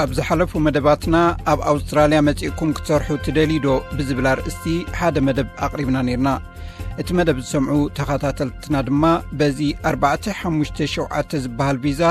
ኣብ ዝሓለፉ መደባትና፣ ኣብ ኣውስትራልያ መጺእኩም ክትሰርሑ ትደልዩ ዶ ብዝብል ኣርእስቲ ሓደ መደብ ኣቕሪብና ነይርና። እቲ መደብ ዝሰምዑ ተኸታተልትና ድማ፣ በዚ ኣርባዕተ ሓሙሽተ ሸውዓተ ዝበሃል ቪዛ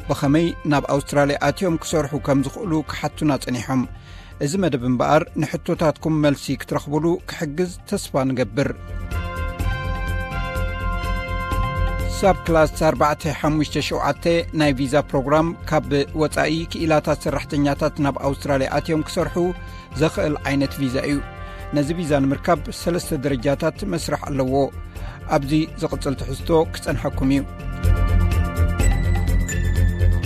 ብኸመይ ናብ ኣውስትራልያ ኣትዮም ክሰርሑ ከም ዝኽእሉ ክሓቱና ጸኒሖም። እዚ መደብ እምበኣር፣ ንሕቶታትኩም መልሲ ክትረኽቡሉ ክሕግዝ ተስፋ ንገብር። ሳብ ክላስ ኣርባዕተ ሓሙሽተ ሸውዓተ ናይ ቪዛ ፕሮግራም፣ ካብ ወጻኢ ክኢላታት ሰራሕተኛታት ናብ ኣውስትራልያ ኣትዮም ክሰርሑ ዘኽእል ዓይነት ቪዛ እዩ። ነዚ ቪዛ ንምርካብ ሰለስተ ደረጃታት መስርሕ ኣለዎ። ኣብዚ ዝቕጽል ትሕዝቶ ክጸንሐኩም እዩ።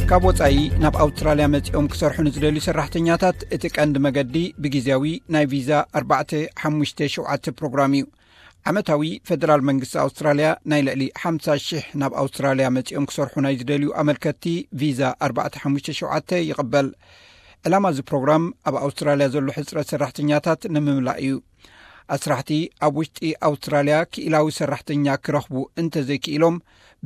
ካብ ወጻኢ ናብ ኣውስትራልያ መጺኦም ክሰርሑ ንዝደልዩ ሰራሕተኛታት፣ እቲ ቀንዲ መገዲ ብግዜያዊ ናይ ቪዛ ኣርባዕተ ሓሙሽተ ሸውዓተ ፕሮግራም እዩ። ዓመታዊ፣ ፈደራል መንግስቲ ኣውስትራልያ ናይ ልዕሊ ሓምሳ ሽሕ ናብ ኣውስትራልያ መጺኦም ክሰርሑ ናይ ዝደልዩ ኣመልከትቲ ቪዛ ኣርባዕተ ሓሙሽተ ሸውዓተ ይቕበል። ዕላማ እዚ ፕሮግራም፣ ኣብ ኣውስትራልያ ዘሎ ሕጽረት ሰራሕተኛታት ንምምላእ እዩ። ኣስራሕቲ ኣብ ውሽጢ ኣውስትራልያ ክኢላዊ ሰራሕተኛ ክረኽቡ እንተዘይክኢሎም፣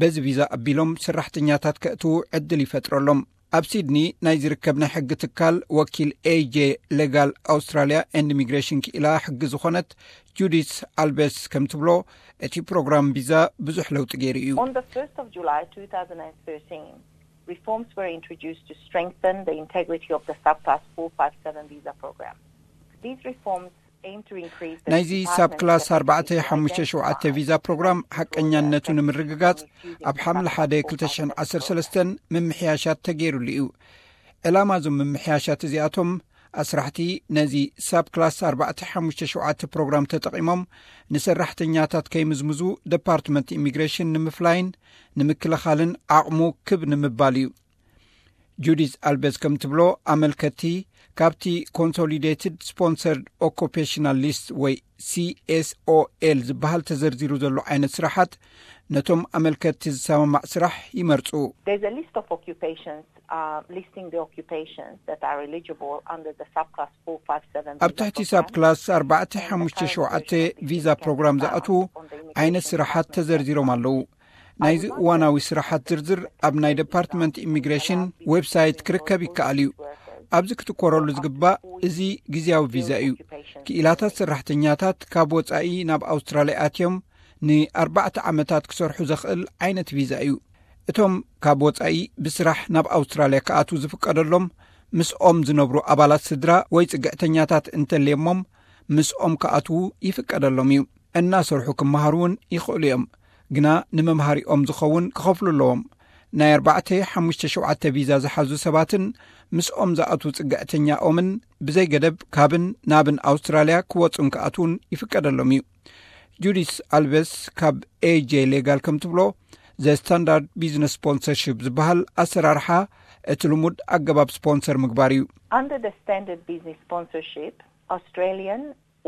በዚ ቪዛ ኣቢሎም ሰራሕተኛታት ከእትዉ ዕድል ይፈጥረሎም። ኣብ ሲድኒ ናይ ዝርከብ ናይ ሕጊ ትካል፣ ወኪል ኤ ጄ ሌጋል ኣውስትራልያ ኤንድ ኢሚግሬሽን ክኢላ ሕጊ ዝኾነት ጁዲስ ኣልቤስ ከም ትብሎ፣ እቲ ፕሮግራም ቪዛ ብዙሕ ለውጢ ገይሩ እዩ። On the first of July two thousand and thirteen, reforms were introduced to strengthen the integrity of the subclass four five seven visa program. These reforms aim to increase the ናይዚ department's ሳብ ክላስ capacity to ኣርባዕተ ሓሙሽተ ሸውዓተ identify ቪዛ ፕሮግራም ሓቀኛነቱ ንምርግጋጽ፣ ኣብ ሓምለ ሓደ ክልተ ሽሕን ዓሰርተ ሰለስተን ምምሕያሻት ተገይሩሉ እዩ። ዕላማ እዞም ምምሕያሻት እዚኣቶም፣ ኣስራሕቲ ነዚ ሳብ ክላስ ኣርባዕተ ሓሙሽተ ሸውዓተ ፕሮግራም ተጠቒሞም ንሰራሕተኛታት ከይምዝምዙ፣ ደፓርትመንት ኢሚግሬሽን ንምፍላይን ንምክልኻልን ዓቕሙ ክብ ንምባል እዩ። ጁዲስ ኣልቤዝ ከም ትብሎ፣ ኣመልከቲ ካብቲ ኮንሶሊዴትድ ስፖንሰርድ ኦኩፔሽናል ሊስት ወይ ሲ ኤስ ኦ ኤል ዝበሃል ተዘርዚሩ ዘሎ ዓይነት ስራሓት፣ ነቶም ኣመልከቲ ዝሰማማዕ ስራሕ ይመርጹ። There's a list of occupations, uh, listing the occupations that are eligible under the subclass four five seven ኣብ ትሕቲ ሳብ ክላስ ኣርባዕተ ሓሙሽተ ሸውዓተ ቪዛ ፕሮግራም ዝኣትዉ ዓይነት ስራሓት ተዘርዚሮም ኣለዉ። ናይዚ እዋናዊ ስራሓት ዝርዝር ኣብ ናይ ደፓርትመንት ኢሚግሬሽን ዌብሳይት ክርከብ ይከኣል እዩ። ኣብዚ ክትኮረሉ ዝግባእ፣ እዚ ግዜያዊ ቪዛ እዩ። ክኢላታት ሰራሕተኛታት ካብ ወጻኢ ናብ ኣውስትራልያ ኣትዮም ንኣርባዕተ ዓመታት ክሰርሑ ዘኽእል ዓይነት ቪዛ እዩ። እቶም ካብ ወጻኢ ብስራሕ ናብ ኣውስትራልያ ክኣትዉ ዝፍቀደሎም፣ ምስኦም ዝነብሩ ኣባላት ስድራ ወይ ጽግዕተኛታት እንተልየሞም፣ ምስኦም ክኣትዉ ይፍቀደሎም እዩ። እናሰርሑ ክመሃሩ እውን ይኽእሉ እዮም፣ ግና ንመምሃሪኦም ዝኸውን ክኸፍሉ ኣለዎም። ናይ ኣርባዕተ፣ ሓሙሽተ፣ ሸውዓተ ቪዛ ዝሓዙ ሰባትን ምስኦም ዝኣትዉ ጽግዕተኛኦምን ብዘይ ገደብ ካብን ናብን ኣውስትራልያ ክወጹን ክኣትዉን ይፍቀደሎም እዩ። ጁዲስ ኣልቨስ ካብ ኤ ጄ ሌጋል ከም ትብሎ፣ ዘ ስታንዳርድ ቢዝነስ ስፖንሰርሺፕ ዝበሃል ኣሰራርሓ፣ እቲ ልሙድ ኣገባብ ስፖንሰር ምግባር እዩ። Under the standard business sponsorship, Australian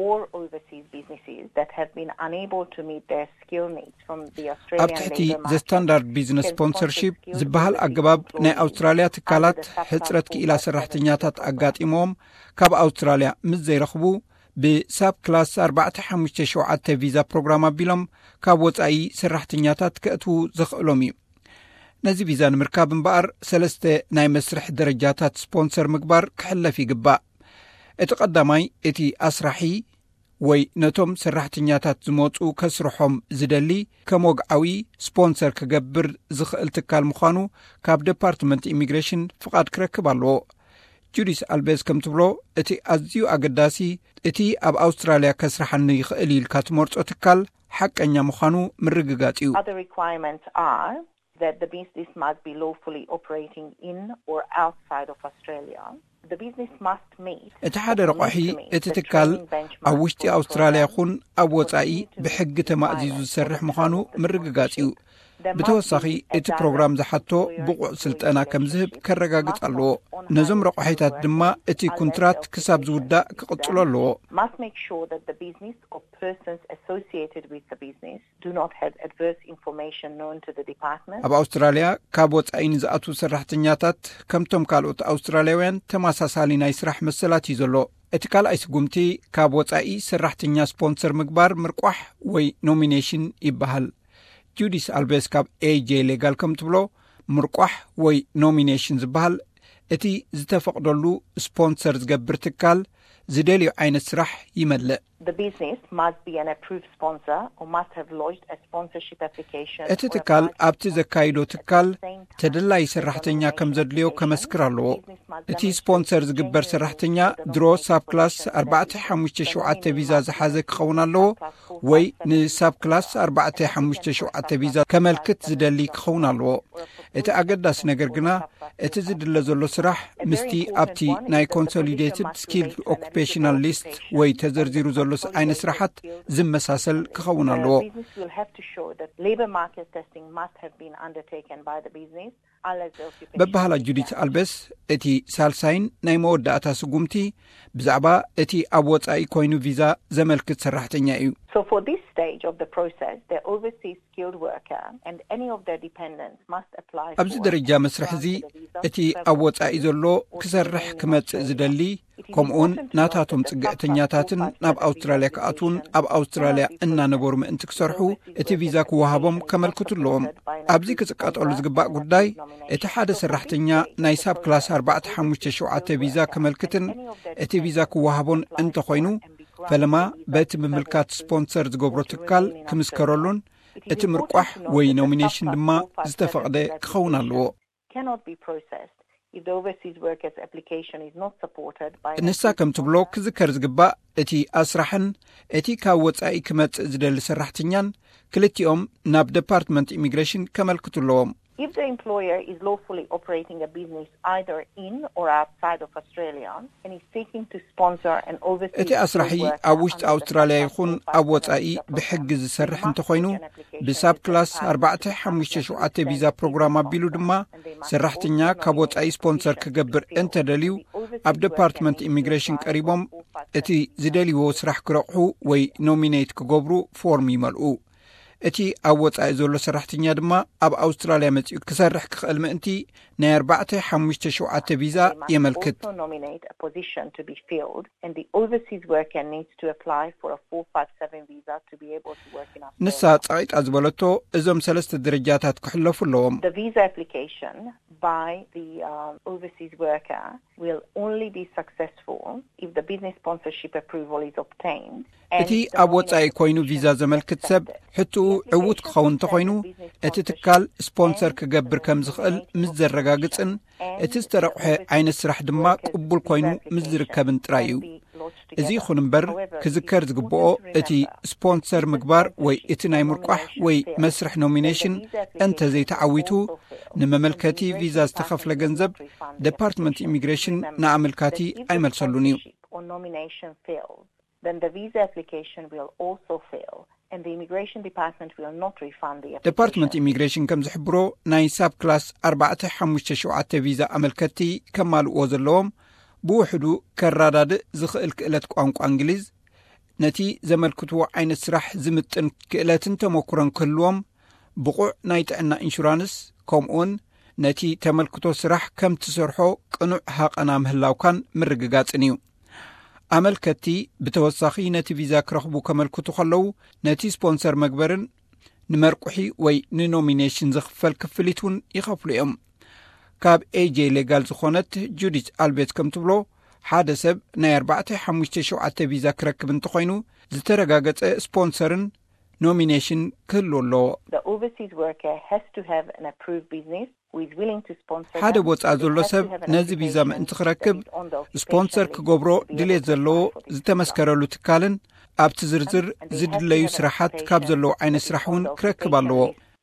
or overseas businesses that have been unable to meet their skill needs from the ኣብ Australian ትሕቲ labour ዘ market ስታንዳርድ ቢዝነስ can sponsor ስፖንሰርሺፕ skilled ዝበሃል overseas ኣገባብ፣ ናይ employees ኣውስትራልያ under ትካላት the subclass ሕጽረት ክኢላ four five seven ሰራሕተኛታት program። ኣጋጢሞም ካብ ኣውስትራልያ ምስ ዘይረኽቡ፣ ብሳብ ክላስ ኣርባዕተ ሓሙሽተ ሸውዓተ ቪዛ ፕሮግራም ኣቢሎም ካብ ወጻኢ ሰራሕተኛታት ከእትዉ ዘኽእሎም እዩ። ነዚ ቪዛ ንምርካብ እምበኣር፣ ሰለስተ ናይ መስርሕ ደረጃታት ስፖንሰር ምግባር ክሕለፍ ይግባእ። እቲ ቀዳማይ፣ እቲ ኣስራሒ ወይ ነቶም ሰራሕተኛታት ዝመጹ ከስርሖም ዝደሊ ከም ወግዓዊ ስፖንሰር ክገብር ዝኽእል ትካል ምዃኑ ካብ ደፓርትመንት ኢሚግሬሽን ፍቓድ ክረክብ ኣለዎ። ጁዲስ ኣልቤዝ ከም ትብሎ፣ እቲ ኣዝዩ ኣገዳሲ፣ እቲ ኣብ ኣውስትራልያ ከስርሓኒ ይኽእል ኢልካ ትመርጾ ትካል ሓቀኛ ምዃኑ ምርግጋጽ እዩ። Other requirements are that the business must be lawfully operating in or outside of Australia. The business must meet እቲ ሓደ ረቋሒ፣ እቲ ትካል ኣብ ውሽጢ ኣውስትራልያ ይኹን ኣብ ወጻኢ ብሕጊ ተማእዚዙ ዝሰርሕ ምዃኑ ምርግጋጽ እዩ። ብተወሳኺ፣ እቲ ፕሮግራም ዝሓቶ ብቑዕ ስልጠና ከም ዝህብ ከረጋግጽ ኣለዎ። ነዞም ረቋሒታት ድማ እቲ ኩንትራት ክሳብ ዝውዳእ ክቕጽሎ ኣለዎ። Must make sure that the business or persons associated with the business do not have adverse information known to the department. ኣብ ኣውስትራልያ ካብ ወጻኢ ንዝኣትዉ ሰራሕተኛታት፣ ከምቶም ካልኦት ኣውስትራልያውያን፣ ተመሳሳሊ ናይ ስራሕ መሰላት እዩ ዘሎ። እቲ ካልኣይ ስጉምቲ፣ ካብ ወጻኢ ሰራሕተኛ ስፖንሰር ምግባር፣ ምርቋሕ ወይ ኖሚኔሽን ይበሃል። ጁዲስ ኣልቤስ ካብ ኤ ጄ ሌጋል ከም ትብሎ፣ ምርቋሕ ወይ ኖሚኔሽን ዝበሃል እቲ ዝተፈቕደሉ ስፖንሰር ዝገብር ትካል ዝደልዮ ዓይነት ስራሕ ይመልእ። The business must be an approved sponsor or must have lodged a sponsorship application. እቲ ትካል ኣብቲ ዘካይዶ ትካል ተደላይ ሰራሕተኛ ከም ዘድልዮ ከመስክር ኣለዎ። እቲ ስፖንሰር ዝግበር ሰራሕተኛ ድሮ ሳብ ክላስ ኣርባዕተ ሓሙሽተ ሸውዓተ ቪዛ ዝሓዘ ክኸውን ኣለዎ ወይ ንሳብ ክላስ ኣርባዕተ ሓሙሽተ ሸውዓተ ቪዛ ከመልክት ዝደሊ ክኸውን ኣለዎ። እቲ ኣገዳሲ ነገር ግና እቲ ዝድለ ዘሎ ስራሕ ምስቲ ኣብቲ ናይ ኮንሶሊዴትድ ስኪልድ ኦኩፔሽናል ሊስት ወይ ተዘርዚሩ ዘሎ ዓይነት ስራሓት ዝመሳሰል ክኸውን ኣለዎ። Business will have to show that labor market testing must have been undertaken by the business. በባህላ ጁዲት ኣልቤስ እቲ ሳልሳይን ናይ መወዳእታ ስጉምቲ ብዛዕባ እቲ ኣብ ወጻኢ ኮይኑ ቪዛ ዘመልክት ሰራሕተኛ እዩ። So for this stage of the process, the overseas skilled worker and any of their dependents must apply ኣብዚ ደረጃ መስርሕ እዚ እቲ ኣብ ወጻኢ ዘሎ ክሰርሕ ክመጽእ ዝደሊ ከምኡውን ናታቶም ጽግዕተኛታትን ናብ ኣውስትራልያ ክኣትውን ኣብ ኣውስትራልያ እናነበሩ ምእንቲ ክሰርሑ እቲ ቪዛ ክወሃቦም ከመልክቱ ኣለዎም። ኣብዚ ክጽቀጠሉ ዝግባእ ጉዳይ እቲ ሓደ ሰራሕተኛ ናይ ሳብ ክላስ ኣርባዕተ ሓሙሽተ ሸውዓተ ቪዛ ከመልክትን እቲ ቪዛ ክወሃቦን እንተኾይኑ ፈለማ በቲ ምምልካት ስፖንሰር ዝገብሮ ትካል ክምስከረሉን እቲ ምርቋሕ ወይ ኖሚኔሽን ድማ ዝተፈቕደ ክኸውን ኣለዎ። Cannot be processed if the overseas worker's application is not supported by ንሳ ከም ትብሎ ክዝከር ዝግባእ እቲ ኣስራሕን እቲ ካብ ወጻኢ ክመጽእ ዝደሊ ሰራሕተኛን ክልቲኦም ናብ ዴፓርትመንት ኢሚግሬሽን ከመልክቱ ኣለዎም። If the employer is lawfully operating a business either in or outside of Australia and is seeking to sponsor an overseas እቲ ኣስራሒ ኣብ ውሽጢ ኣውስትራልያ ይኹን ኣብ ወጻኢ ብሕጊ ዝሰርሕ እንተኾይኑ ብሳብ ክላስ ኣርባዕተ ሓሙሽተ ሸውዓተ ቪዛ ፕሮግራም ኣቢሉ ድማ ሰራሕተኛ ካብ ወጻኢ ስፖንሰር ክገብር እንተደልዩ ኣብ ዴፓርትመንት ኢሚግሬሽን ቀሪቦም እቲ ዝደልይዎ ስራሕ ክረቑሑ ወይ ኖሚኔት ክገብሩ ፎርም ይመልኡ። እቲ ኣብ ወጻኢ ዘሎ ሰራሕተኛ ድማ ኣብ ኣውስትራልያ መጺኡ ክሰርሕ ክኽእል ምእንቲ ናይ ኣርባዕተ ሓሙሽተ ሸውዓተ ቪዛ የመልክት። Nominate a position to be filled and the overseas worker needs to apply for a four five seven visa to be able to work in Australia. ንሳ ጸቒጣ ዝበለቶ እዞም ሰለስተ ደረጃታት ክሕለፉ ኣለዎም። The visa application by the um, overseas worker will only be successful if the business sponsorship approval is obtained. እቲ ኣብ ወጻኢ ኮይኑ ቪዛ ዘመልክት ሰብ ሕትኡ ዕዉት ክኸውን እንተኾይኑ እቲ ትካል ስፖንሰር ክገብር ከም ዝኽእል ምስ ዘረጋግጽን እቲ ዝተረቑሐ ዓይነት ስራሕ ድማ ቅቡል ኮይኑ ምስ ዝርከብን ጥራይ እዩ። እዚ ይኹን እምበር ክዝከር ዝግብኦ እቲ ስፖንሰር ምግባር ወይ እቲ ናይ ምርቋሕ ወይ መስርሕ ኖሚኔሽን እንተዘይተዓዊቱ ንመመልከቲ ቪዛ ዝተኸፍለ ገንዘብ ዴፓርትመንት ኢሚግሬሽን ንኣመልካቲ ኣይመልሰሉን እዩ። Or nomination fails, then the visa application will also fail and the immigration department will not refund the ዴፓርትመንት application. ኢሚግሬሽን ከም ዝሕብሮ ናይ ሳብ ክላስ ኣርባዕተ ሓሙሽተ ሸውዓተ ቪዛ ኣመልከትቲ ከማልእዎ ዘለዎም ብውሕዱ ከረዳድእ ዝኽእል ክእለት ቋንቋ እንግሊዝ ነቲ ዘመልክትዎ ዓይነት ስራሕ ዝምጥን ክእለትን ተመኩሮን ክህልዎም ብቑዕ ናይ ጥዕና ኢንሹራንስ ከምኡውን ነቲ ተመልክቶ ስራሕ ከም ትሰርሖ ቅኑዕ ሃቐና ምህላውካን ምርግጋጽን እዩ። ኣመልከትቲ ብተወሳኺ ነቲ ቪዛ ክረኽቡ ከመልክቱ ከለዉ ነቲ ስፖንሰር መግበርን ንመርቁሒ ወይ ንኖሚኔሽን ዝኽፈል ክፍሊት እውን ይኸፍሉ እዮም። ካብ ኤጄ ሌጋል ዝኾነት ጁዲት ኣልቤት ከም ትብሎ ሓደ ሰብ ናይ ኣርባዕተ ሓሙሽተ ሸውዓተ ቪዛ ክረክብ እንተኾይኑ ዝተረጋገጸ ስፖንሰርን ኖሚኔሽን ክህሉ ኣለዎ። The overseas worker has to have an approved business who is willing to sponsor ሓደ them. ወጻኢ ዘሎ ሰብ ነዚ ቪዛ ምእንቲ ክረክብ ስፖንሰር ክገብሮ ድሌት ዘለዎ ዝተመስከረሉ ትካልን ኣብቲ ዝርዝር ዝድለዩ ስራሓት ካብ ዘለዉ ዓይነት ስራሕ እውን ክረክብ ኣለዎ።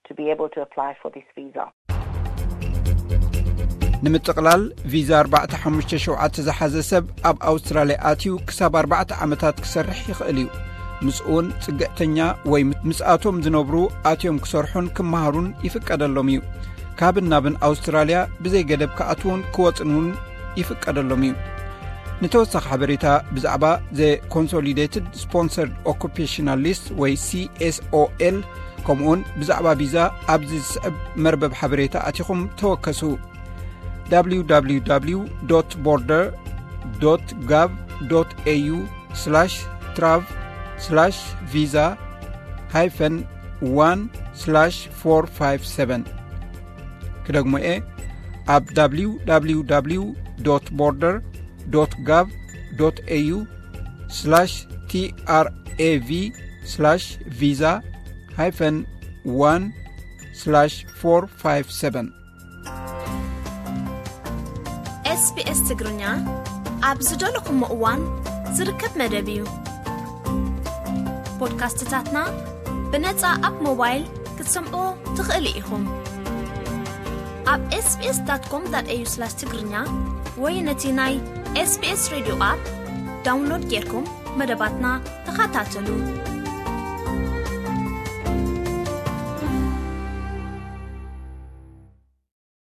To be able to apply for this visa. ንምጥቕላል ቪዛ ኣርባዕተ ሓሙሽተ ሸውዓተ ዝሓዘ ሰብ ኣብ ኣውስትራልያ ኣትዩ ክሳብ ኣርባዕተ ዓመታት ክሰርሕ ይኽእል እዩ። ምስኡውን ጽግዕተኛ ወይ ምስኣቶም ዝነብሩ ኣትዮም ክሰርሑን ክመሃሩን ይፍቀደሎም እዩ። ካብን ናብን ኣውስትራልያ ብዘይ ገደብ ክኣትዉን ክወጽን እውን ይፍቀደሎም እዩ። ንተወሳኺ ሓበሬታ ብዛዕባ ዘ ኮንሶሊዴትድ ስፖንሰርድ ኦኩፔሽናል ሊስት ወይ ሲኤስኦኤል ከምኡውን ብዛዕባ ቪዛ ኣብዚ ዝስዕብ መርበብ ሓበሬታ ኣቲኹም ተወከሱ። www border gov au trav visa hyphen one slash four five seven ክደግሞ እየ። ኣብ www border gov au/trav/visa hyphen one slash four five seven. SBS ትግርኛ ኣብ ዝደለኹሞ እዋን ዝርከብ መደብ እዩ። ፖድካስትታትና ብነጻ ኣብ ሞባይል ክትሰምዑ ትኽእሉ ኢኹም። ኣብ sbs.com.au/ትግርኛ ወይ ነቲ ናይ SBS ሬድዮ ኣፕ ዳውንሎድ ጌርኩም መደባትና ተኸታተሉ።